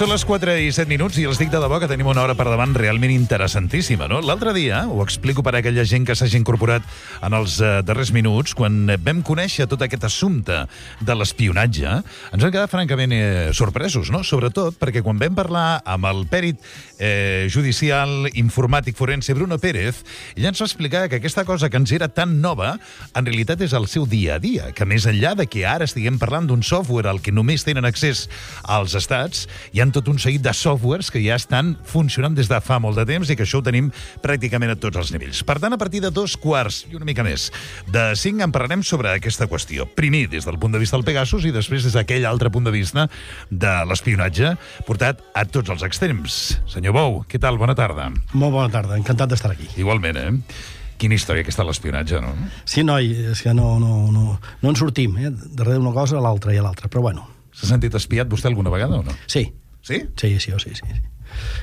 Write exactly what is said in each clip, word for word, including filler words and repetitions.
Són les quatre i set minuts i els dic de debò que tenim una hora per davant realment interessantíssima, no? L'altre dia, ho explico per a aquella gent que s'hagi incorporat en els eh, darrers minuts, quan vam conèixer tot aquest assumpte de l'espionatge, ens vam quedar francament eh, sorpresos, no? Sobretot perquè quan vam parlar amb el pèrit eh, judicial informàtic forense Bruno Pérez, ell ens va explicar que aquesta cosa que ens era tan nova, en realitat és el seu dia a dia, que més enllà de que ara estiguem parlant d'un software al que només tenen accés als estats, hi ha tot un seguit de softwares que ja estan funcionant des de fa molt de temps i que això ho tenim pràcticament a tots els nivells. Per tant, a partir de dos quarts i una mica més de cinc en parlarem sobre aquesta qüestió. Primer, des del punt de vista del Pegasus i després des d'aquell altre punt de vista de l'espionatge portat a tots els extrems. Senyor Bou, què tal? Bona tarda. Molt bona tarda, encantat d'estar aquí. Igualment, eh? Quina història aquesta de l'espionatge, no? Sí, noi, és que no, no, no, no en sortim, eh? Darrere d'una cosa a l'altra i a l'altra, però bueno. S'ha sentit espiat vostè alguna vegada o no? Sí. Sí? Sí, sí, sí, sí.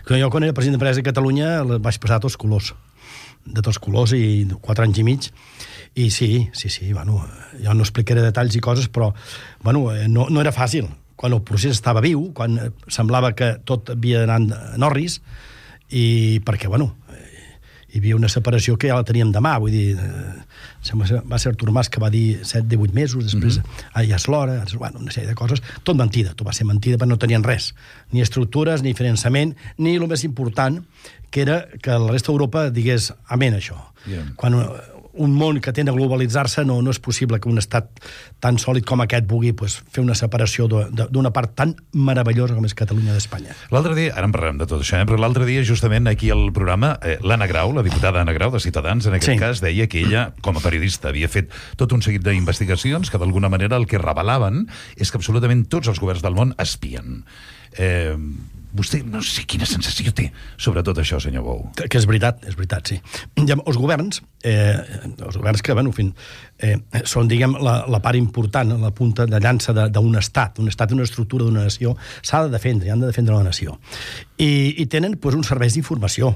Jo, quan era president d'empresa de Catalunya, vaig passar tots colors, de tots colors, i quatre anys i mig, i sí, sí, sí, bueno, jo no explicaré detalls i coses, però, bueno, no, no era fàcil. Quan el procés estava viu, quan semblava que tot havia d'anar en orris, i perquè, bueno, hi havia una separació que ja la teníem demà, vull dir, eh, va ser Artur Mas que va dir set, divuit mesos, després mm-hmm. ah, ja és l'hora, bueno, una sèrie de coses, tot mentida, tot va ser mentida, perquè no tenien res, ni estructures, ni finançament, ni el més important, que era que la resta d'Europa digués amén això. Yeah. Quan un món que tende a globalitzar-se, no, no és possible que un estat tan sòlid com aquest vulgui pues, fer una separació d'una part tan meravellosa com és Catalunya d'Espanya. L'altre dia, ara en parlarem de tot això, eh? Però l'altre dia, justament aquí al programa, eh, l'Anna Grau, la diputada Anna Grau de Ciutadans, en aquest sí. cas, deia que ella, com a periodista, havia fet tot un seguit d'investigacions que d'alguna manera el que revelaven és que absolutament tots els governs del món espien. Eh... Vostè no sé quina sensació té sobre tot això, senyor Bou. Que, que és veritat, és veritat, sí. Ja, els governs, eh, els governs que, bueno, en fi, eh, són, diguem, la, la part important, la punta de llança d'un estat, un estat, una estructura d'una nació, s'ha de defendre, han de defendre la nació. I, i tenen, doncs, uns serveis d'informació,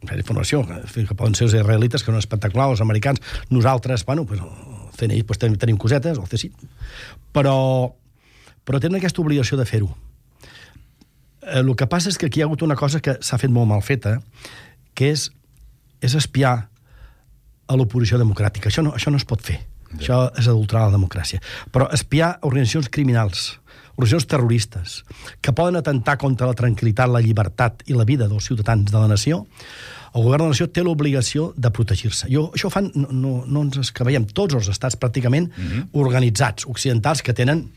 d'informació, que poden ser els israelites, que són espectaculars, els americans, nosaltres, bueno, pues, el C N I, pues, tenim, tenim cosetes, el C S I, però, però tenen aquesta obligació de fer-ho. El que passa és que aquí hi ha hagut una cosa que s'ha fet molt mal feta, que és, és espiar a l'oposició democràtica. Això no, això no es pot fer. Ja. Això és adulterar la democràcia. Però espiar organitzacions criminals, organitzacions terroristes, que poden atentar contra la tranquil·litat, la llibertat i la vida dels ciutadans de la nació, el govern de la nació té l'obligació de protegir-se. Jo, això ho fan, no, no, no ens escaveiem, tots els estats pràcticament mm-hmm. organitzats, occidentals, que tenen,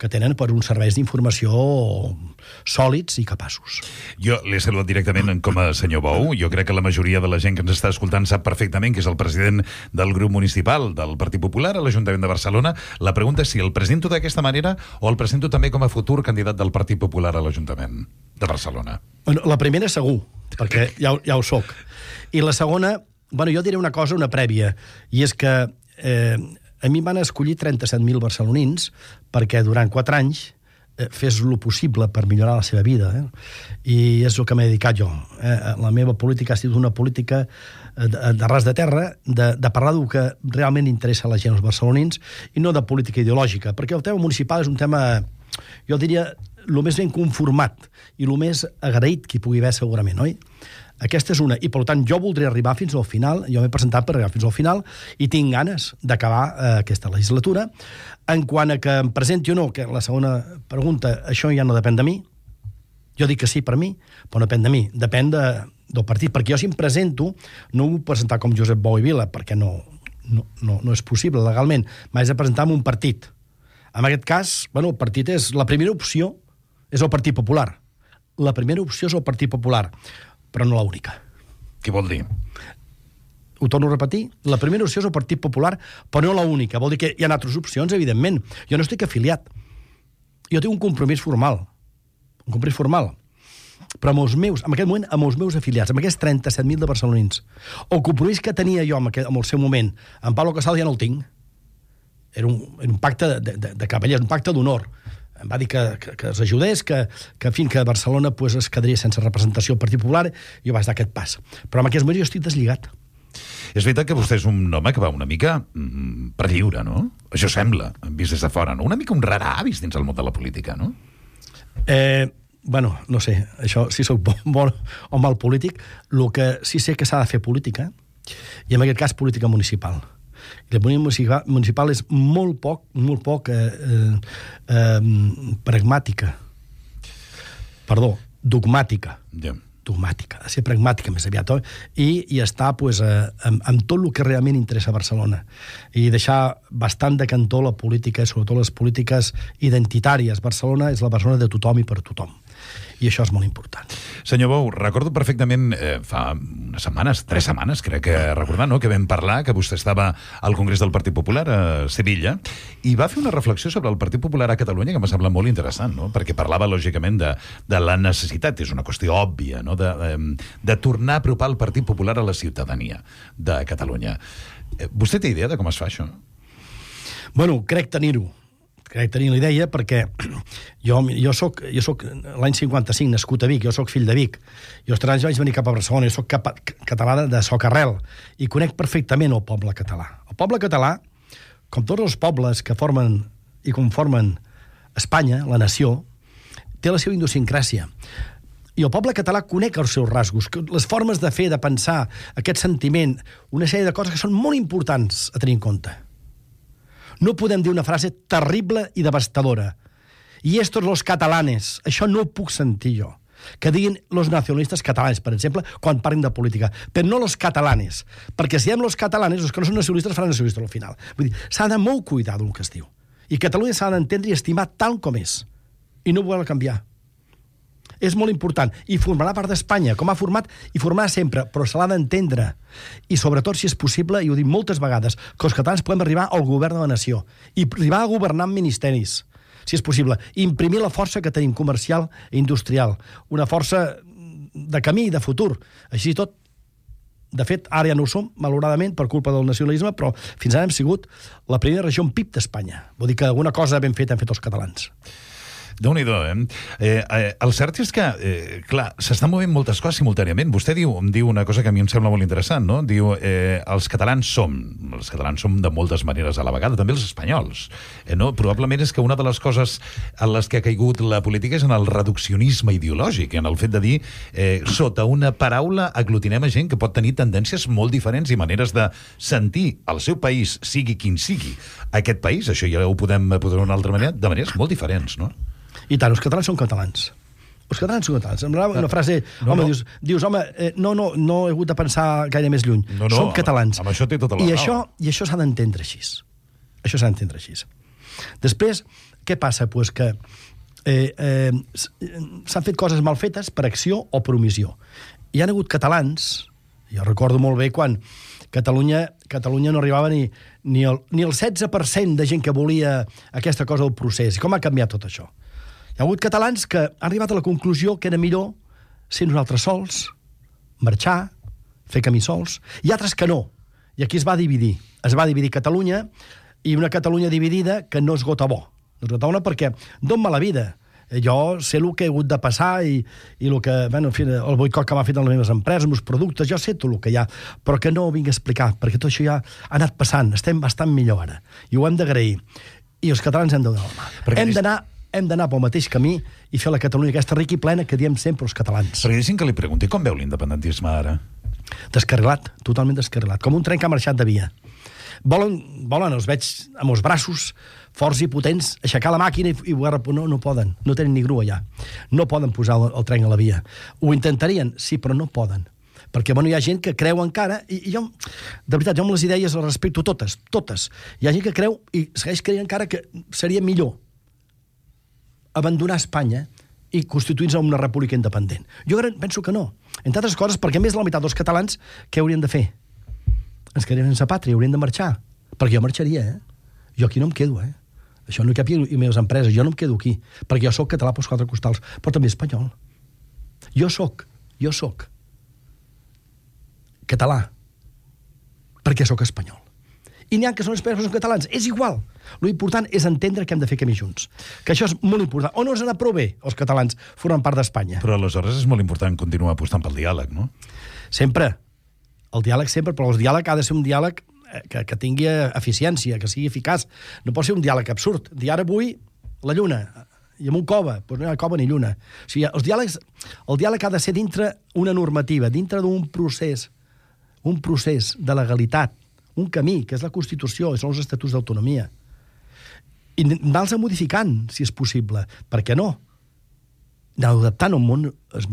que tenen per uns serveis d'informació sòlids i capaços. Jo l'he saludat directament com a senyor Bou. Jo crec que la majoria de la gent que ens està escoltant sap perfectament que és el president del grup municipal del Partit Popular a l'Ajuntament de Barcelona. La pregunta és si el presento d'aquesta manera o el presento també com a futur candidat del Partit Popular a l'Ajuntament de Barcelona. Bueno, la primera segur, perquè ja, ja ho soc. I la segona, bueno, jo diré una cosa, una prèvia, i és que eh, a mi van escollir trenta-set mil barcelonins perquè durant quatre anys eh, fes lo possible per millorar la seva vida. Eh? I és el que m'he dedicat jo. Eh? La meva política ha sigut una política de, de ras de terra, de, de parlar del que realment interessa a la gent, als barcelonins, i no de política ideològica, perquè el tema municipal és un tema, jo diria, el més ben conformat i el més agraït que hi pugui haver segurament, oi? Aquesta és una, i per tant jo voldré arribar fins al final, jo m'he presentat per arribar fins al final i tinc ganes d'acabar eh, aquesta legislatura. En quant a que em presenti o no, que la segona pregunta, això ja no depèn de mi, jo dic que sí per mi, però no depèn de mi, depèn de, del partit, perquè jo si em presento no ho vull presentar com Josep Bou i Vila, perquè no, no, no, no és possible legalment, m'haig de presentar en un partit. En aquest cas, bueno, el partit és, la primera opció és el Partit Popular. La primera opció és el Partit Popular, però no l'única. Què vol dir? Ho torno a repetir. La primera opció és el Partit Popular, però no l'única. Vol dir que hi ha altres opcions, evidentment. Jo no estic afiliat. Jo tinc un compromís formal. Un compromís formal. Però amb els meus, en aquest moment, amb els meus afiliats, amb aquests trenta-set mil de barcelonins, el compromís que tenia jo en, aquest, en el seu moment, en Pablo Casado ja no el tinc. Era un, era un pacte de, de, de cavallers, un pacte d'honor. Em va dir que, que, que els ajudés, que, que en fi, que Barcelona pues, es quedaria sense representació al Partit Popular, i jo vaig dar aquest pas. Però en aquest moment jo estic deslligat. És veritat que vostè és un home que va una mica mm, per lliure, no? Això sembla, vist des de fora, no? Una mica un rara avis dins el món de la política, no? Eh, bueno, no sé, això si sóc bon, bon o mal polític, el que sí sé que s'ha de fer política, i en aquest cas política municipal. I la política municipal és molt poc, molt poc eh, eh, eh, pragmàtica. Perdó, dogmàtica. Yeah. dogmàtica, ha de ser pragmàtica més aviat, oi? I, i estar pues, eh, amb, amb tot el que realment interessa a Barcelona. I deixar bastant de cantó la política, sobretot les polítiques identitàries. Barcelona és la Barcelona de tothom i per tothom. I això és molt important. Senyor Bou, recordo perfectament, eh, fa unes setmanes, tres setmanes, crec que recordar, no?, que vam parlar, que vostè estava al Congrés del Partit Popular a Sevilla, i va fer una reflexió sobre el Partit Popular a Catalunya que m'ha semblat molt interessant, no?, perquè parlava, lògicament, de, de la necessitat, és una qüestió òbvia, no?, de, de, de tornar a apropar el Partit Popular a la ciutadania de Catalunya. Eh, vostè té idea de com es fa això? Bueno, crec tenir-ho. Crec tenir la idea perquè jo, jo soc, jo soc l'any cinquanta-cinc nascut a Vic, jo soc fill de Vic, i als tres anys vaig venir cap a Barcelona, jo soc cap, català de, de socarrel, i conec perfectament el poble català. El poble català, com tots els pobles que formen i conformen Espanya, la nació, té la seva idiosincràsia. I el poble català conec els seus rasgos, les formes de fer, de pensar, aquest sentiment, una sèrie de coses que són molt importants a tenir en compte. No podem dir una frase terrible i devastadora. I estos los catalanes. Això no ho puc sentir jo. Que diguin los nacionalistes catalans, per exemple, quan parlen de política. Però no los catalanes. Perquè si diem los catalanes, els que no són nacionalistes faran nacionalistes al final. Vull dir, s'ha de molt cuidar del que es diu. I Catalunya s'ha d'entendre i estimar tal com és. I no voler canviar. És molt important. I formarà part d'Espanya, com ha format, i formarà sempre, però se l'ha d'entendre. I sobretot, si és possible, i ho dic moltes vegades, que els catalans podem arribar al govern de la nació i arribar a governar amb ministeris, si és possible. Imprimir la força que tenim comercial i industrial. Una força de camí i de futur. Així i tot, de fet, ara ja no ho som, malauradament, per culpa del nacionalisme, però fins ara hem sigut la primera regió en P I B d'Espanya. Vull dir que alguna cosa ben feta han fet els catalans. Déu-n'hi-do, eh? eh, eh el cert és que, eh, clar, s'estan movent moltes coses simultàniament. Vostè diu, em diu una cosa que a mi em sembla molt interessant, no? Diu, eh, els catalans som, els catalans som de moltes maneres a la vegada, també els espanyols, eh, no? Probablement és que una de les coses en les que ha caigut la política és en el reduccionisme ideològic, en el fet de dir, eh, sota una paraula aglutinem a gent que pot tenir tendències molt diferents i maneres de sentir el seu país, sigui quin sigui aquest país, això ja ho podem posar d'una altra manera, de maneres molt diferents, no? I tant, els catalans són catalans. Els catalans són catalans. Em una frase, no, home, no. Dius, dius, home, eh, no, no, no he hagut de pensar gaire més lluny. No, no, som catalans. Amb, amb això té tota la I raó. això, i això s'ha d'entendre així. Això s'ha d'entendre així. Després, què passa? Pues que eh, eh, s'han fet coses mal fetes per acció o per omissió. Hi ha hagut catalans, jo recordo molt bé quan Catalunya, Catalunya no arribava ni, ni, el, ni el setze per cent de gent que volia aquesta cosa del procés. I com ha canviat tot això? Hi ha hagut catalans que han arribat a la conclusió que era millor ser nosaltres sols, marxar, fer camí sols, i altres que no. I aquí es va dividir. Es va dividir Catalunya, i una Catalunya dividida que no es gota bo. No es gota bona perquè d'on va la vida? Jo sé el que he hagut de passar i, i el, que, bueno, en fi, el boicot que m'ha fet en les meves empreses, els meus productes, jo sé tot el que hi ha, però que no ho vinc a explicar, perquè tot això ja ha anat passant, estem bastant millor ara, i ho hem d'agrair. I els catalans hem de donar la mà. Perquè hem d'anar hem d'anar pel mateix camí i fer la Catalunya aquesta rica i plena que diem sempre els catalans. Perquè deixin que li pregunti, com veu l'independentisme ara? Descarrilat, totalment descarrilat, com un tren que ha marxat de via. Volen, volen els veig amb els braços forts i potents, aixecar la màquina i, i no, no poden, no tenen ni grua ja. No poden posar el, el tren a la via. Ho intentarien, sí, però no poden. Perquè bueno, hi ha gent que creu encara, i, i jo, de veritat, jo amb les idees les respecto totes, totes. Hi ha gent que creu i segueix creient encara que seria millor abandonar Espanya i constituir-se una república independent. Jo penso que no. Entre altres coses, perquè més de la meitat dels catalans, què haurien de fer? Ens quedarien sense pàtria, haurien de marxar. Perquè jo marxaria, eh? Jo aquí no em quedo, eh? Això no hi cap i les meves empreses, jo no em quedo aquí. Perquè jo sóc català pels quatre costals, però també espanyol. Jo sóc, jo sóc català perquè sóc espanyol. I n'hi ha que són espanyols, són catalans. És igual. L'important és entendre que hem de fer camí junts. Que això és molt important. O no ens anat prou bé, els catalans formen part d'Espanya. Però aleshores és molt important continuar apostant pel diàleg, no? Sempre. El diàleg sempre, però el diàleg ha de ser un diàleg que, que tingui eficiència, que sigui eficaç. No pot ser un diàleg absurd. Dir ara vull la lluna. I en un cova, doncs no hi ha cova ni lluna. O sigui, els diàlegs, el diàleg ha de ser dintre una normativa, dintre d'un procés, un procés de legalitat, un camí, que és la Constitució, i són els estatuts d'autonomia. I anar-los modificant, si és possible. Per què no? Anar adaptant un món es,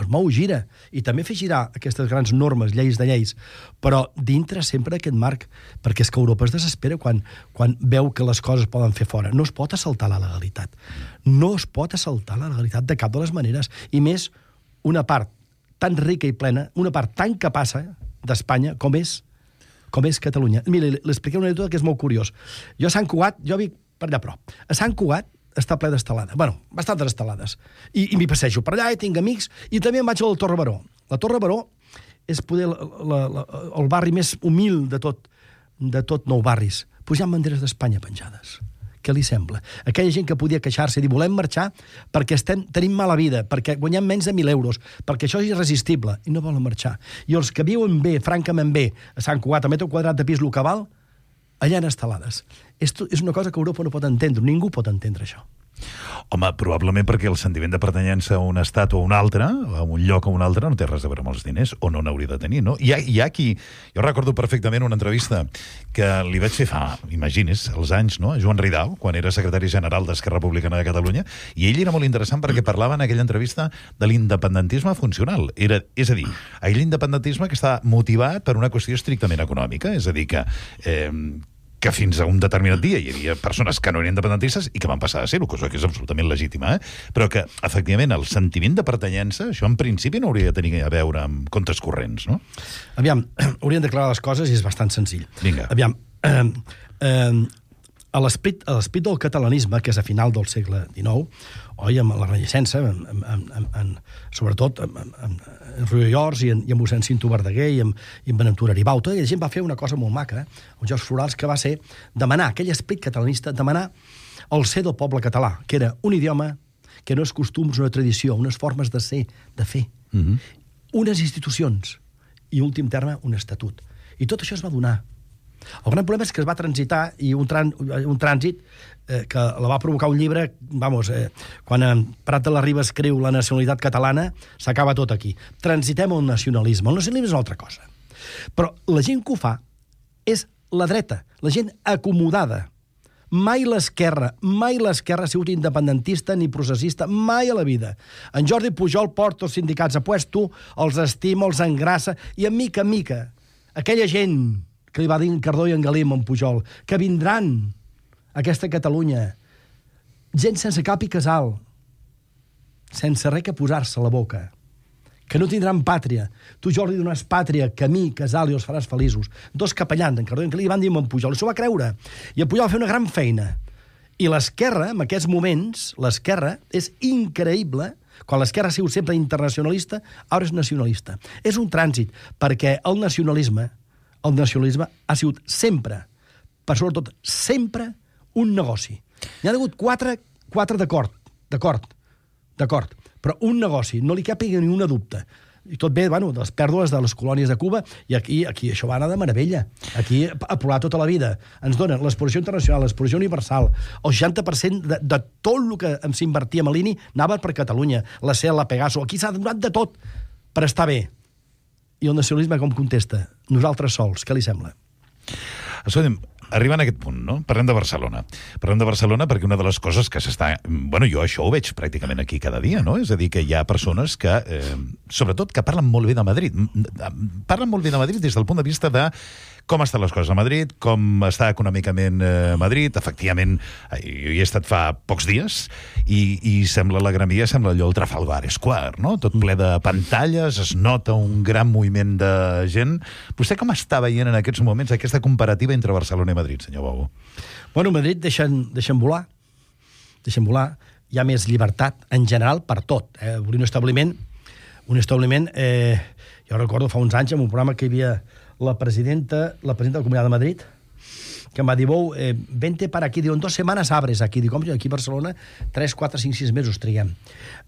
es mou, gira, i també fer girar aquestes grans normes, lleis de lleis, però dintre sempre aquest marc, perquè és que Europa es desespera quan, quan veu que les coses poden fer fora. No es pot assaltar la legalitat. No es pot assaltar la legalitat de cap de les maneres, i més una part tan rica i plena, una part tan capaç d'Espanya com és, com és Catalunya. Mira, li expliqué una anècdota que és molt curiós. Jo a Sant Cugat, jo vic per allà prop, a Sant Cugat està ple d'estelades. Bueno, bastantes estelades. I, i m'hi passejo per allà, i tinc amics, i també em vaig al Torre Baró. La Torre Baró és poder la, la, la, el barri més humil de tot, de tot Nou Barris. Pues hi ha banderes d'Espanya penjades. Què li sembla? Aquella gent que podia queixar-se i dir volem marxar perquè estem, tenim mala vida, perquè guanyem menys de mil euros, perquè això és irresistible, i no volen marxar. I els que viuen bé, francament bé, a Sant Cugat, a metre quadrat de pis lo que val, allà en estelades. Esto és una cosa que Europa no pot entendre, ningú pot entendre això. Home, probablement perquè el sentiment de pertanyença a un estat o a un altre, a un lloc o a un altre, no té res a veure amb els diners, o no n'hauria de tenir, no? Hi ha, hi ha qui... Jo recordo perfectament una entrevista que li vaig fer fa, imagines, els anys, no?, a Joan Ridao, quan era secretari general d'Esquerra Republicana de Catalunya, i ell era molt interessant perquè parlava en aquella entrevista de l'independentisme funcional. Era, és a dir, aquell independentisme que està motivat per una qüestió estrictament econòmica, és a dir, que... Eh, que fins a un determinat dia hi havia persones que no eren independentistes i que van passar a ser-ho, cosa que és absolutament legítima, eh? Però que, efectivament, el sentiment de pertanyença, això en principi no hauria de tenir a veure amb comptes corrents, no? Aviam, hauríem d'aclarar les coses i és bastant senzill. Vinga. Aviam, eh, eh, a l'esperit del catalanisme, que és a final del segle dinou, oi, amb la Renaixença, en, en, en, en, sobretot en, en, en Ruiz Llors i en, i en mossèn Cinto Verdaguer i en, i en Bonaventura Aribau, tota aquella gent va fer una cosa molt maca, eh? El George Florals, que va ser demanar, aquell esperit catalanista, demanar el ser del poble català, que era un idioma, que no és costums, una tradició, unes formes de ser, de fer, mm-hmm. unes institucions, i, en últim terme, un estatut. I tot això es va donar. El gran problema és que es va transitar, i un, tran, un trànsit eh, que la va provocar un llibre, vamos, eh, quan en Prat de la Riba escriu La nacionalitat catalana, s'acaba tot aquí. Transitem al nacionalisme. El nacionalisme és una altra cosa. Però la gent que ho fa és la dreta, la gent acomodada. Mai l'esquerra, mai l'esquerra ha sigut independentista ni processista, mai a la vida. En Jordi Pujol porta els sindicats a puesto, els estima, els engrassa, i en mica en mica, aquella gent que li va dir en Cardó i en Galí amb en Pujol, que vindran a aquesta Catalunya, gent sense cap i casal, sense res que posar-se a la boca, que no tindran pàtria. Tu, Jordi, donaràs pàtria, camí, casal, i els faràs feliços. Dos capellans, en Cardó i en Galí, li van dir amb en Pujol, i s'ho va creure. I en Pujol va fer una gran feina. I l'esquerra, en aquests moments, l'esquerra és increïble. Quan l'esquerra ha sigut sempre internacionalista, ara és nacionalista. És un trànsit, perquè el nacionalisme el nacionalisme ha sigut sempre, per sobretot sempre, un negoci. N'hi ha hagut quatre, quatre d'acord, d'acord, d'acord, però un negoci, no li capi ni una dubte. I tot ve, bueno, de les pèrdues de les colònies de Cuba, i aquí, aquí això va anar de meravella. Aquí ha plorat tota la vida. Ens donen l'exposició internacional, l'exposició universal, el seixanta per cent de, de tot el que s'invertia a Malini anava per Catalunya, la C E L, la Pegaso, aquí s'ha donat de tot per estar bé. I el nacionalisme com contesta? Nosaltres sols, què li sembla? Escolta'm, arribant a aquest punt, no? Parlem de Barcelona. Parlem de Barcelona perquè una de les coses que s'està... Bueno, jo això ho veig pràcticament aquí cada dia, no? És a dir, que hi ha persones que, eh, sobretot, que parlen molt bé de Madrid. Parlen molt bé de Madrid des del punt de vista de com estan les coses a Madrid, com està econòmicament eh, Madrid. Efectivament, jo hi he estat fa pocs dies i, i sembla la Gran Via, sembla allò el Trafalgar Square, no? Tot ple de pantalles, es nota un gran moviment de gent. Vostè com està veient en aquests moments aquesta comparativa entre Barcelona i Madrid, senyor Bou? Bueno, Madrid deixen, deixen volar, deixen volar, hi ha més llibertat en general per tot. Eh? Un establiment, un establiment eh, jo recordo fa uns anys en un programa que hi havia la presidenta, la presidenta de la Comunitat de Madrid, que em va dir, Bou, eh, vente para aquí, diu, en dues setmanes abres aquí. Dic, com, aquí a Barcelona, tres, quatre, cinc, sis mesos triguem.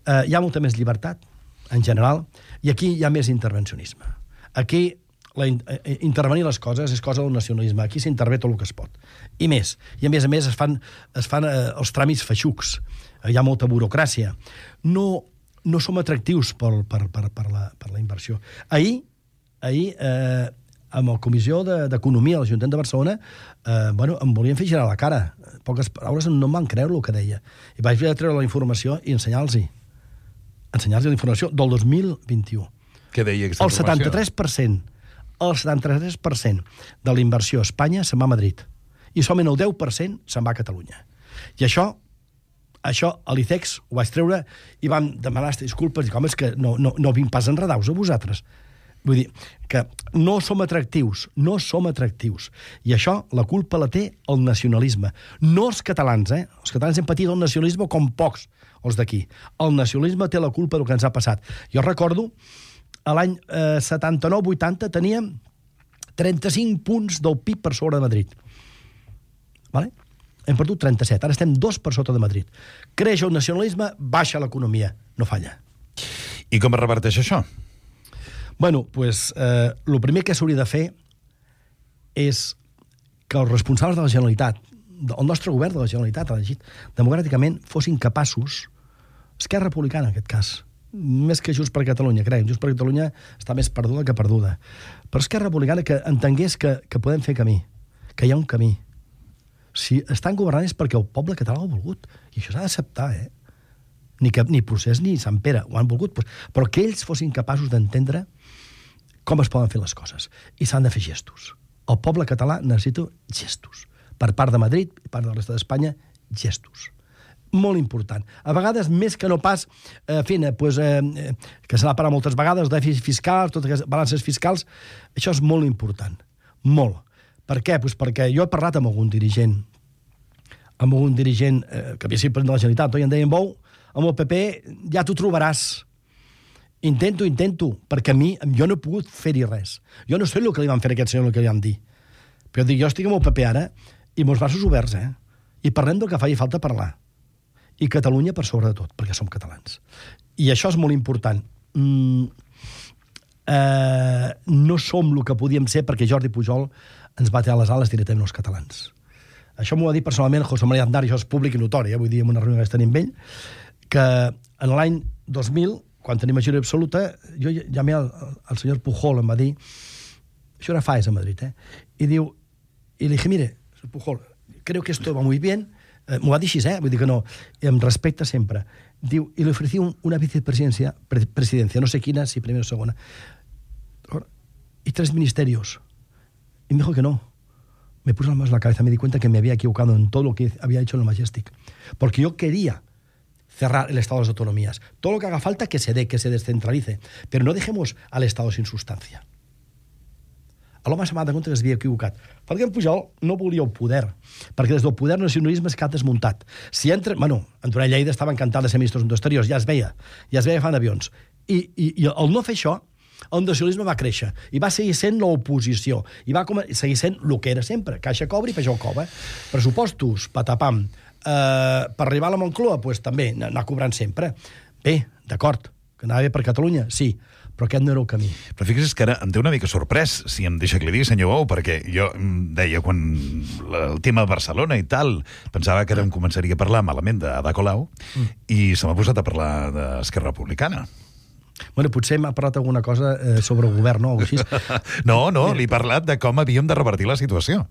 Eh, hi ha molta més llibertat, en general, i aquí hi ha més intervencionisme. Aquí la, eh, intervenir les coses és cosa del nacionalisme. Aquí s'intervé tot el que es pot. I més. I a més a més es fan, es fan eh, els tràmits feixucs. Hi ha molta burocràcia. No, no som atractius per, per, per, per, la, per la inversió. Ahir, ahir eh, amb la Comissió d'Economia de l'Ajuntament de Barcelona, eh, bueno, em volien fer girar la cara. Poques paraules no em van creure el que deia. I vaig haver de treure la informació i ensenyar-los-hi. Ensenyar-los la informació del dos mil vint-i-u. Què deia aquesta el informació? setanta-tres per cent, el setanta-tres per cent de la inversió a Espanya se'n va a Madrid. I solament el deu per cent se'n va a Catalunya. I això, això a l'I C E X ho vaig treure i vam demanar disculpes i dic, home, és que no, no, no vinc pas enredaus a vosaltres. Vull dir, que no som atractius, no som atractius. I això, la culpa la té el nacionalisme. No els catalans, eh? Els catalans hem patit el nacionalisme com pocs, els d'aquí. El nacionalisme té la culpa del que ens ha passat. Jo recordo, a l'any eh, setanta-nou vuitanta teníem trenta-cinc punts del P I B per sobre de Madrid. Vale? Hem perdut trenta-set, ara estem dos per sota de Madrid. Creix el nacionalisme, baixa l'economia. No falla. I com es reverteix això? Bueno, pues, eh, el primer que s'hauria de fer és que els responsables de la Generalitat, el nostre govern de la Generalitat, elegit democràticament, fossin capaços, Esquerra Republicana, en aquest cas, més que Junts per Catalunya, crec, Junts per Catalunya està més perduda que perduda, però Esquerra Republicana que entengués que, que podem fer camí, que hi ha un camí. Si estan governant és perquè el poble català ho ha volgut, i això s'ha d'acceptar, eh? Ni, que, ni Procés ni Sant Pere ho han volgut, però que ells fossin capaços d'entendre com es poden fer les coses. I s'han de fer gestos. El poble català necessita gestos. Per part de Madrid i part de la resta d'Espanya, gestos. Molt important. A vegades, més que no pas, eh, fent, eh, pues, eh, que se n'ha parlat moltes vegades, dèficits fiscals, totes les balances fiscals, això és molt important. Molt. Per què? Pues perquè jo he parlat amb algun dirigent, amb algun dirigent eh, que havia sigut president de la Generalitat, i em deien, Bou, amb el P P ja t'ho trobaràs. Intento, intento, perquè a mi, jo no he pogut fer-hi res. Jo no sé el que li van fer a aquest senyor, el que li van dir. Però dic, jo estic amb el P P ara, i amb els braços oberts, eh? I parlem del que faci falta parlar. I Catalunya per sobre de tot, perquè som catalans. I això és molt important. Mm, eh, no som el que podíem ser perquè Jordi Pujol ens va tirar les ales directament als catalans. Això m'ho va dir personalment José María Aznar, i això és públic i notori, eh? Vull dir, en una reunió que vaig tenir amb ell, que en l'any dos mil, quan tenim majoria absoluta, jo llamé al, al senyor Pujol, em va dir, això era Faes a Madrid, eh? I diu, i li dije, mire, Pujol, creo que esto va muy bien, eh, m'ho va dir així, eh? Vull dir que no, em respecta sempre. Diu, i li ofrecí un, una vicepresidencia, pre, presidencia, no sé quina, si primera o segona, y tres ministerios. Y me dijo que no. Me puso las manos en la cabeza, me di cuenta que me había equivocado en todo lo que había hecho en el Majestic. Porque yo quería cerrar el Estado de las autonomías. Todo lo que haga falta que se dé, que se descentralice. Pero no dejemos al Estado sin sustancia. A l'home se m'ha de compte que es havia equivocat. Perquè en Pujol no volia el poder. Perquè des del poder el nacionalisme és cap desmuntat. Si entra... Bueno, en Duran Lleida estava encantat de ser ministre dels Exteriors, ja es veia. Ja es veia fan avions. I, i, i el no fer això, el nacionalisme va créixer i va seguir sent l'oposició i va seguir sent el que era sempre, caixa cobra i peixó cova. Pressupostos, patapam. Uh, per arribar a la Moncloa, pues, també anar cobrant sempre. Bé, d'acord, que anava bé per Catalunya, sí, però aquest no era el camí. Però fixa't que ara em té una mica sorprès, si em deixa que li digui, senyor Bou, perquè jo deia, quan el tema de Barcelona i tal, pensava que ara em començaria a parlar malament d'Ada Colau, mm. i se m'ha posat a parlar d'Esquerra Republicana. Bueno, potser m'ha parlat alguna cosa eh, sobre el govern, no? O així. No, no, li he parlat de com havíem de revertir la situació.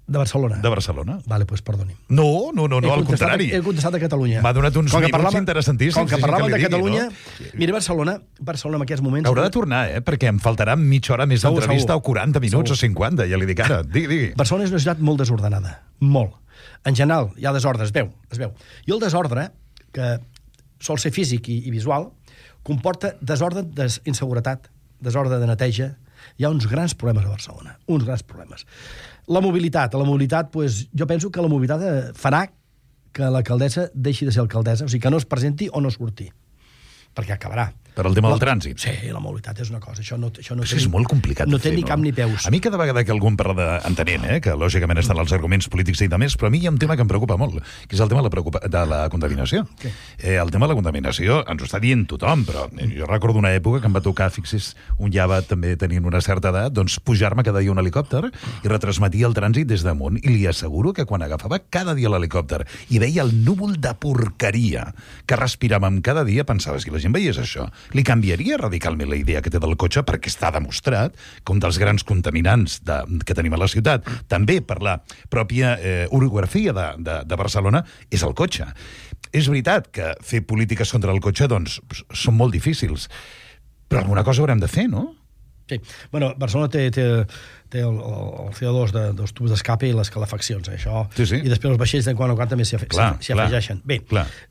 De Barcelona? De Barcelona. Vale, pues perdoni. No, no, no, no al contrari. He contestat a Catalunya. M'ha donat uns minuts parlava, interessantíssims. Com que parlàvem de digui, Catalunya... No? Mira, Barcelona, Barcelona en aquests moments... Haurà de tornar, eh? Perquè em faltarà mitja hora més d'entrevista o quaranta minuts segur. O cinquanta, ja li dic ara. Digui, digui. Barcelona és una ciutat molt desordenada. Molt. En general, hi ha desordre, es veu. Es veu. I el desordre, que sol ser físic i, i visual, comporta desordre d'inseguretat, desordre de neteja. Hi ha uns grans problemes a Barcelona. Uns grans problemes. La mobilitat. La mobilitat, pues, jo penso que la mobilitat farà que l'alcaldessa deixi de ser alcaldessa, o sigui, que no es presenti o no surti. perquè acabarà. Per al tema del trànsit. Sí, la mobilitat és una cosa. Això no, això no té, és molt complicat no de fer, té ni cap ni peus. A mi cada vegada que algú em parla de... Entenent, eh, que lògicament estan els arguments polítics i demés, però a mi hi ha un tema que em preocupa molt, que és el tema de la, preocupa... de la contaminació. Okay. Eh, el tema de la contaminació ens ho està dient tothom, però jo recordo una època que em va tocar, fixis, un ja va també tenint una certa edat, doncs pujar-me cada dia un helicòpter i retransmetia el trànsit des damunt, i li asseguro que quan agafava cada dia l'helicòpter i veia el núvol de porqueria que respiràvem cada dia, pensava, si la gent veiés això, li canviaria radicalment la idea que té del cotxe, perquè està demostrat que un dels grans contaminants de, que tenim a la ciutat, també per la pròpia eh, orografia de, de, de Barcelona, és el cotxe. És veritat que fer polítiques contra el cotxe, doncs, són molt difícils, però alguna cosa haurem de fer, no? Sí. Bueno, Barcelona té, té, té el, el C O dos de, dels tubs d'escape i les calefaccions, eh? Això, sí, sí. I després els vaixells de quan o quan també s'hi afegeixen. Bé,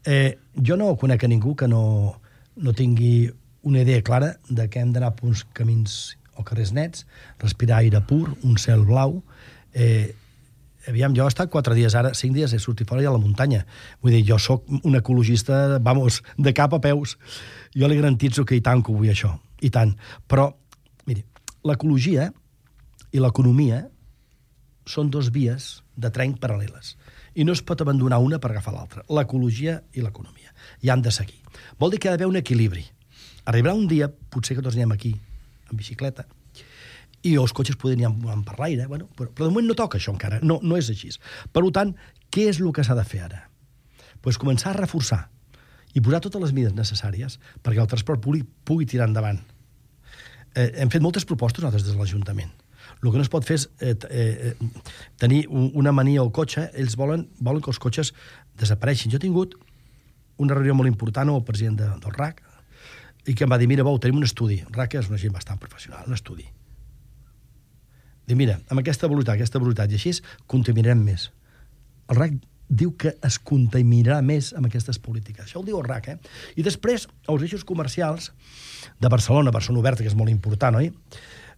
eh, jo no conec a ningú que no, no tingui una idea clara de que hem d'anar per uns camins o carrers nets, respirar aire pur, un cel blau. Eh, aviam, jo he estat quatre dies ara, cinc dies he sortit fora i a la muntanya. Vull dir, jo sóc un ecologista, vamos, de cap a peus. Jo li garantitzo que i tant que ho vull això, i tant. Però, miri, l'ecologia i l'economia són dos vies de tren paral·leles. I no es pot abandonar una per agafar l'altra. L'ecologia i l'economia. I han de seguir. Vol dir que ha d'haver un equilibri. Arribarà un dia, potser que tots anem aquí, en bicicleta, i els cotxes podrien anar per l'aire, bueno, però, però de moment no toca això encara, no, no és així. Per tant, què és el que s'ha de fer ara? Pues començar a reforçar i posar totes les mides necessàries perquè el transport públic pugui tirar endavant. Eh, hem fet moltes propostes nosaltres des de l'Ajuntament. El que no es pot fer és eh, eh, tenir una mania al cotxe. Ells volen, volen que els cotxes desapareixin. Jo he tingut una reunió molt important amb el president de, del R A C, i que em va dir, mira, Bou, tenim un estudi. R A C és una gent bastant professional, un estudi. Diu, mira, amb aquesta velocitat, aquesta velocitat, i així contaminarem més. El R A C diu que es contaminarà més amb aquestes polítiques. Això ho diu el R A C, eh? I després, els eixos comercials de Barcelona, Barcelona Oberta, que és molt important, oi?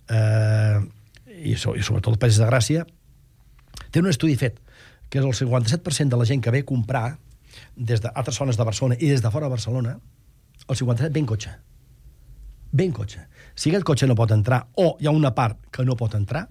Eh, i, so, I sobretot el País de Gràcia, té un estudi fet, que és el cinquanta-set per cent de la gent que ve a comprar des d'altres zones de Barcelona i des de fora de Barcelona, el cinquanta-set ve en cotxe. Ve en cotxe. Si aquest cotxe no pot entrar, o hi ha una part que no pot entrar,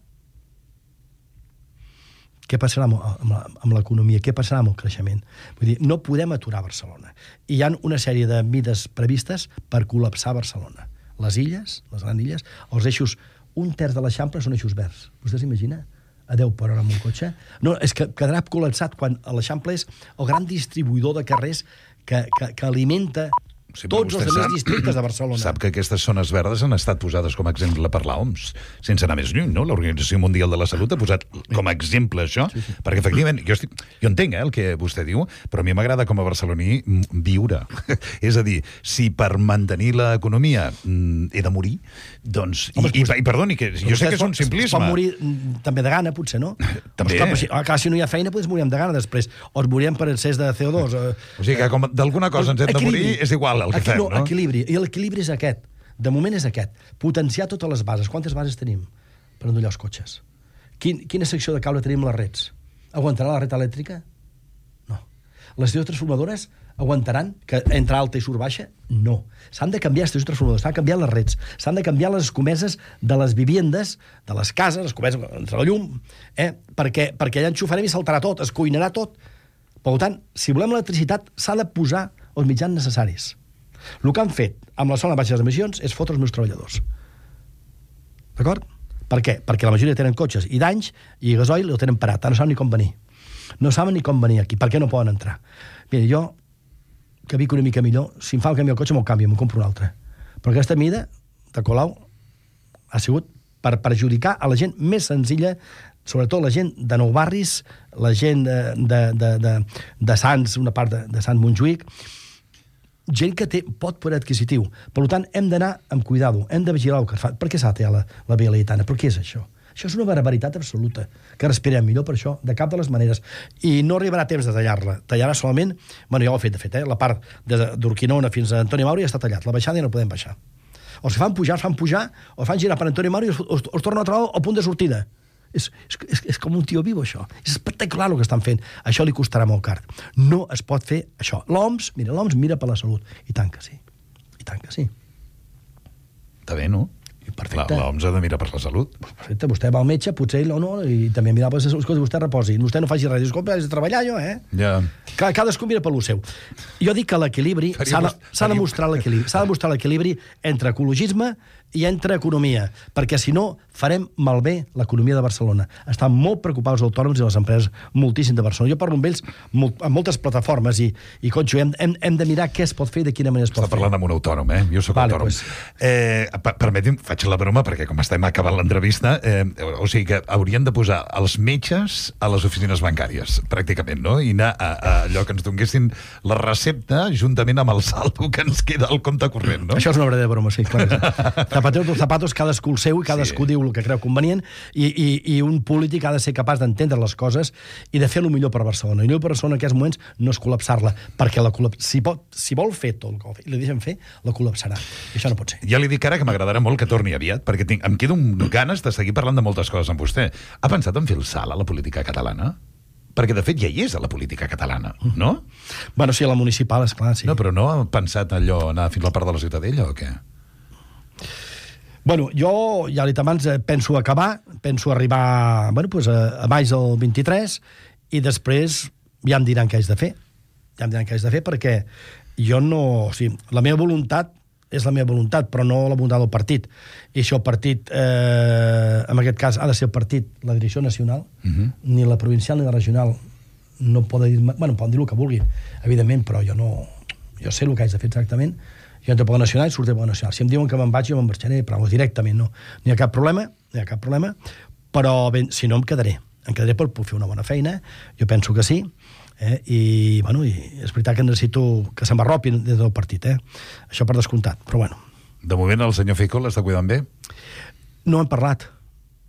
què passarà amb l'economia? Què passarà amb el creixement? Vull dir, no podem aturar Barcelona. I hi ha una sèrie de mides previstes per col·lapsar Barcelona. Les illes, les grans illes, els eixos, un terç de l'Eixample són eixos verds. Vostè s'imagina? A deu per hora amb un cotxe? No, és que quedarà col·lapsat quan l'Eixample és el gran distribuïdor de carrers que, que, que alimenta sí, tots els altres districtes de Barcelona. Sap que aquestes zones verdes han estat posades com a exemple per l'O M S, sense anar més lluny, no? L'Organització Mundial de la Salut ha posat com a exemple això, sí, sí. Perquè efectivament, jo, estic, jo entenc eh, el que vostè diu, però a mi m'agrada com a barceloní viure. És a dir, si per mantenir l'economia he de morir, doncs... Home, i, i, i perdoni, que jo sé que és un simplisme. Es pot morir també de gana, potser, no? També. Clar, si, clar, si no hi ha feina, doncs morirem de gana després. O es morirem per excés de C O dos. O sigui que com d'alguna cosa ens hem de morir, és igual el que Aquí, fem, no? no? Equilibri. I l'equilibri és aquest. De moment és aquest. Potenciar totes les bases. Quantes bases tenim per endollar els cotxes? Quin, quina secció de cable tenim a les rets? Aguantarà la red elèctrica? No. Les estacions transformadores aguantaran que entre alta i surt baixa? No. S'han de canviar les estacions transformadores, s'han de canviar les rets, s'han de canviar les escomeses de les viviendes, de les cases, les escomeses entre la llum, eh? perquè, perquè allà enxufarem i saltarà tot, es cuinarà tot. Per tant, si volem electricitat, s'ha de posar els mitjans necessaris. El que han fet amb la zona de baixes emissions és fotre els meus treballadors. D'acord? Per què? Perquè la majoria tenen cotxes i d'anys i gasoil el tenen parat. No saben ni com venir. No saben ni com venir aquí. Per què no poden entrar? Mira, jo, que vic una mica millor, si em fa el canvi al cotxe, me'l canvio, me'n compro un altre. Però aquesta mida de Colau ha sigut per perjudicar a la gent més senzilla, sobretot la gent de Nou Barris, la gent de, de, de, de, de Sants, una part de, de Sant Montjuïc, gent que té pot poder adquisitiu. Per tant, hem d'anar amb cuidado, hem de vigilar el que es fa. Per què s'ha de tallar la, la Via Laietana? Per què és això? Això és una barbaritat absoluta, que respirem millor per això, de cap de les maneres. I no arribarà temps de tallar-la. Tallarà solament... Bueno, ja ho ha fet, de fet, eh? La part d'Urquinaona fins a Antoni Mauri ja està tallat. La baixada ja no podem baixar. Els que fan pujar, els fan pujar, o fan girar per Antoni Mauri i els, els, els tornen a trobar al punt de sortida. És, és, és com un tio viu, això. És espectacular el que estan fent. Això li costarà molt car. No es pot fer això. L'O M S, mira, l'O M S mira per la salut. I tant que sí. I I tant que sí. Està bé, no? Perfecte. L'O M S ha de mirar per la salut. Perfecte, vostè va al metge, potser ell o no, i també mirar, pues, escolta, vostè reposi, vostè no faci res, dius, escolta, has de treballar jo, eh? Ja. Cadascú mira per lo seu. Jo dic que l'equilibri, s'ha de, s'ha de mostrar l'equilibri, s'ha de mostrar l'equilibri entre ecologisme i entre economia, perquè si no farem malbé l'economia de Barcelona. Estan molt preocupats els autònoms i les empreses moltíssim de Barcelona. Jo parlo amb ells molt, amb moltes plataformes i, i conxo, hem, hem, hem de mirar què es pot fer i de quina manera es pot Està fer. Està parlant amb un autònom, eh? Jo sóc vale, autònom. Pues... Eh, permeti'm, faig la broma, perquè com estem acabant l'entrevista, eh, o sigui que haurien de posar els metges a les oficines bancàries, pràcticament, no? I anar a, a allò que ens donguessin la recepta juntament amb el saldo que ens queda al compte corrent, no? Això és una verdadera broma, sí, clar. Zapateros dos zapatos, cadascú el seu i cadascú sí. diu el que creu convenient i, i, i un polític ha de ser capaç d'entendre les coses i de fer el millor per Barcelona. I el millor per Barcelona en aquests moments no és col·lapsar-la, perquè la col·laps... si, pot, si vol fer tot el que i li deixen fer, la col·lapsarà. I això no pot ser. Ja li dic ara que m'agradarà molt que torni aviat, perquè tinc, em quedo amb ganes de seguir parlant de moltes coses amb vostè. Ha pensat en fer el salt a la política catalana? Perquè, de fet, ja hi és a la política catalana, no? Bueno, sí, a la municipal, esclar, sí. No, però no ha pensat allò, anar fins a la part de la Ciutadella o què? Bueno, jo, ja l'he dit abans, penso acabar, penso arribar bueno, pues, a, a maig del vint-i-tres i després ja em diran què haig de fer. Ja em diran què haig de fer perquè jo no... O sigui, la meva voluntat és la meva voluntat, però no la voluntat del partit. I això el partit, eh, en aquest cas, ha de ser el partit, la direcció nacional, uh-huh. ni la provincial ni la regional no poden dir... Bueno, poden dir el que vulguin, evidentment, però jo no... Jo sé el que haig de fer exactament. Jo entro per la nacional i surto per la nacional. Si em diuen que me'n vaig, jo me'n marxaré, però directament no. No hi ha cap problema, no hi ha cap problema, però ben, si no em quedaré. Em quedaré per fer una bona feina, jo penso que sí, eh? I, bueno, i és veritat que necessito que se m'arropi des del partit, eh? Això per descomptat, però bueno. De moment el senyor Feijó l'està cuidant bé? No hem parlat,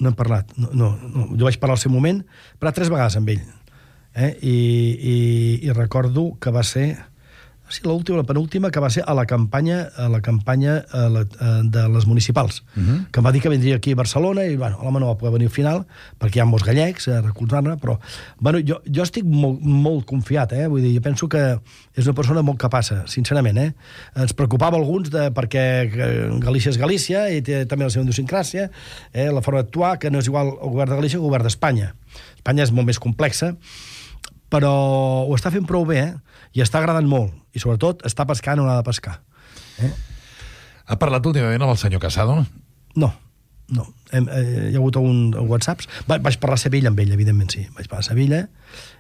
no hem parlat. No, no, no. Jo vaig parlar al seu moment, però tres vegades amb ell. Eh? I, i, I recordo que va ser... Sí, l'última, la penúltima, que va ser a la campanya a la campanya a la, a, de les municipals, uh-huh. que em va dir que vindria aquí a Barcelona i, bueno, l'home no va poder venir al final perquè hi ha molts gallecs a recolzar-ne, però bueno, jo, jo estic molt, molt confiat, eh? Vull dir, jo penso que és una persona molt capaça, sincerament, eh? Ens preocupava alguns de, perquè Galícia és Galícia i té també la seva idiosincràsia, eh? La forma d'actuar, que no és igual el govern de Galícia que el govern d'Espanya. Espanya és molt més complexa, però ho està fent prou bé, eh? I està agradant molt. I, sobretot, està pescant on ha de pescar. Eh? Ha parlat últimament amb el senyor Casado? No, no. Hem, eh, hi ha hagut un, un whatsapps. Va, vaig parlar a Sevilla amb ell, evidentment, sí. Vaig parlar a Sevilla,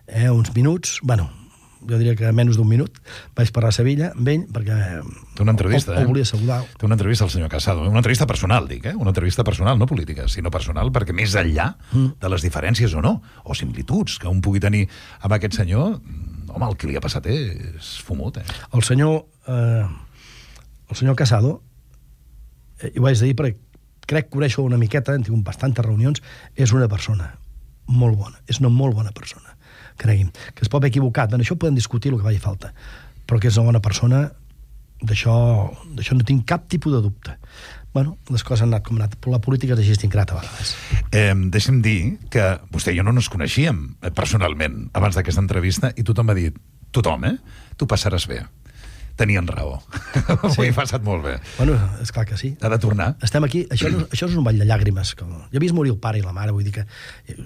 eh, uns minuts, bueno, jo diria que menys d'un minut, vaig parlar a Sevilla amb ell, perquè té una entrevista, o, o volia saludar. Té una entrevista al senyor Casado. Una entrevista personal, dic, eh? Una entrevista personal, no política, sinó personal, perquè més enllà mm. de les diferències o no, o similituds que un pugui tenir amb aquest senyor, home, el que li ha passat és fumut, eh? El senyor, eh, el senyor Casado, eh, i ho vaig dir perquè crec que coneixo una miqueta, hem tingut bastantes reunions, és una persona molt bona, és una molt bona persona, cregui'm, que es pot haver equivocat, bueno, això podem discutir el que faci falta, però que és una bona persona, d'això d'això no tinc cap tipus de dubte. Bueno, les coses han anat com han anat, però la política és així ingrata a vegades. Eh, deixa'm dir que vostè i jo no ens coneixíem eh, personalment abans d'aquesta entrevista i tothom m'ha dit, tothom, eh? Tu passaràs bé. Tenien raó. Sí. Ho he passat molt bé. Bueno, és clar que sí. Ha de tornar. Estem aquí, això, no, això és un ball de llàgrimes. Com... Jo he vist morir el pare i la mare, vull dir que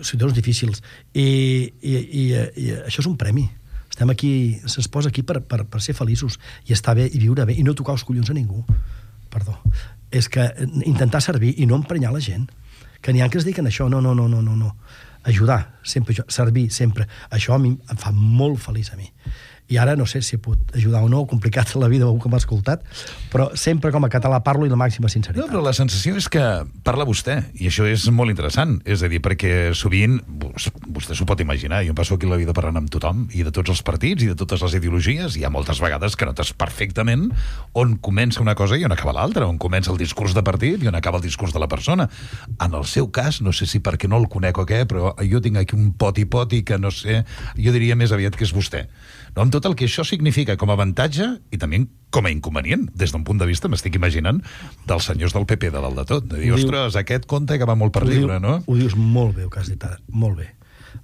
situacions difícils. I, i, i, i això és un premi. Estem aquí, se'ns posa aquí per, per, per ser feliços i estar bé i viure bé i no tocar els collons a ningú. Perdó. És que intentar servir i no emprenyar la gent. Que n'hi ha que es diuen això, no, no, no, no, no, no. Ajudar, sempre, servir, sempre. Això a mi em fa molt feliç a mi. I ara no sé si he pogut ajudar o no, complicat la vida que m'ha escoltat, però sempre com a català parlo i la màxima sinceritat. No, però la sensació és que parla vostè, i això és molt interessant, és a dir, perquè sovint, vostè s'ho pot imaginar, jo em passo aquí la vida parlant amb tothom, i de tots els partits, i de totes les ideologies, i hi ha moltes vegades que notes perfectament on comença una cosa i on acaba l'altra, on comença el discurs de partit i on acaba el discurs de la persona. En el seu cas, no sé si perquè no el conec o què, però jo tinc aquí un poti-poti que no sé, jo diria més aviat que és vostè. No, amb tot el que això significa com a avantatge i també com a inconvenient, des d'un punt de vista, m'estic imaginant, dels senyors del P P de dalt de tot. De dir, ostres, aquest conte que va molt per lliure, no? Ho dius molt bé, el que has dit ara, molt bé.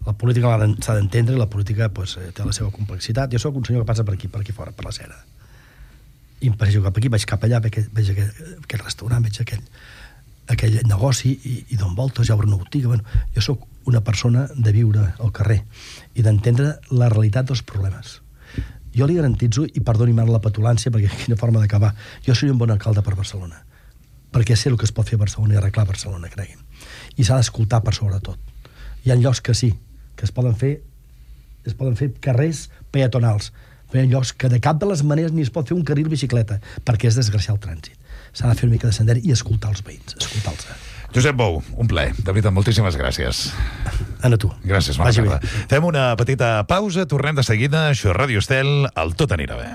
La política s'ha d'entendre i la política pues, té la seva complexitat. Jo sóc un senyor que passa per aquí, per aquí fora, per la Cera. i em passejo cap aquí, vaig cap allà, veig, veig aquell, aquell restaurant, veig aquell, aquell negoci i, i dono voltes, ja obro una botiga. Bueno, jo sóc una persona de viure al carrer i d'entendre la realitat dels problemes. Jo li garantitzo, i perdoni'm ara la petulància, perquè quina forma d'acabar, jo soy un bon alcalde per Barcelona, perquè sé el que es pot fer a Barcelona i arreglar Barcelona, cregui'm. I s'ha d'escoltar per sobretot. Hi ha llocs que sí, que es poden fer, es poden fer carrers peatonals, però hi ha llocs que de cap de les maneres ni es pot fer un carril bicicleta, perquè és desgraciar el trànsit. S'ha de fer una mica de sender i escoltar els veïns, escoltar-los. Josep Bou, un plaer. De veritat, moltíssimes gràcies. Anna, tu. Gràcies, bona tarda. Fem una petita pausa, tornem de seguida. Això és Ràdio Estel, el Tot anirà bé.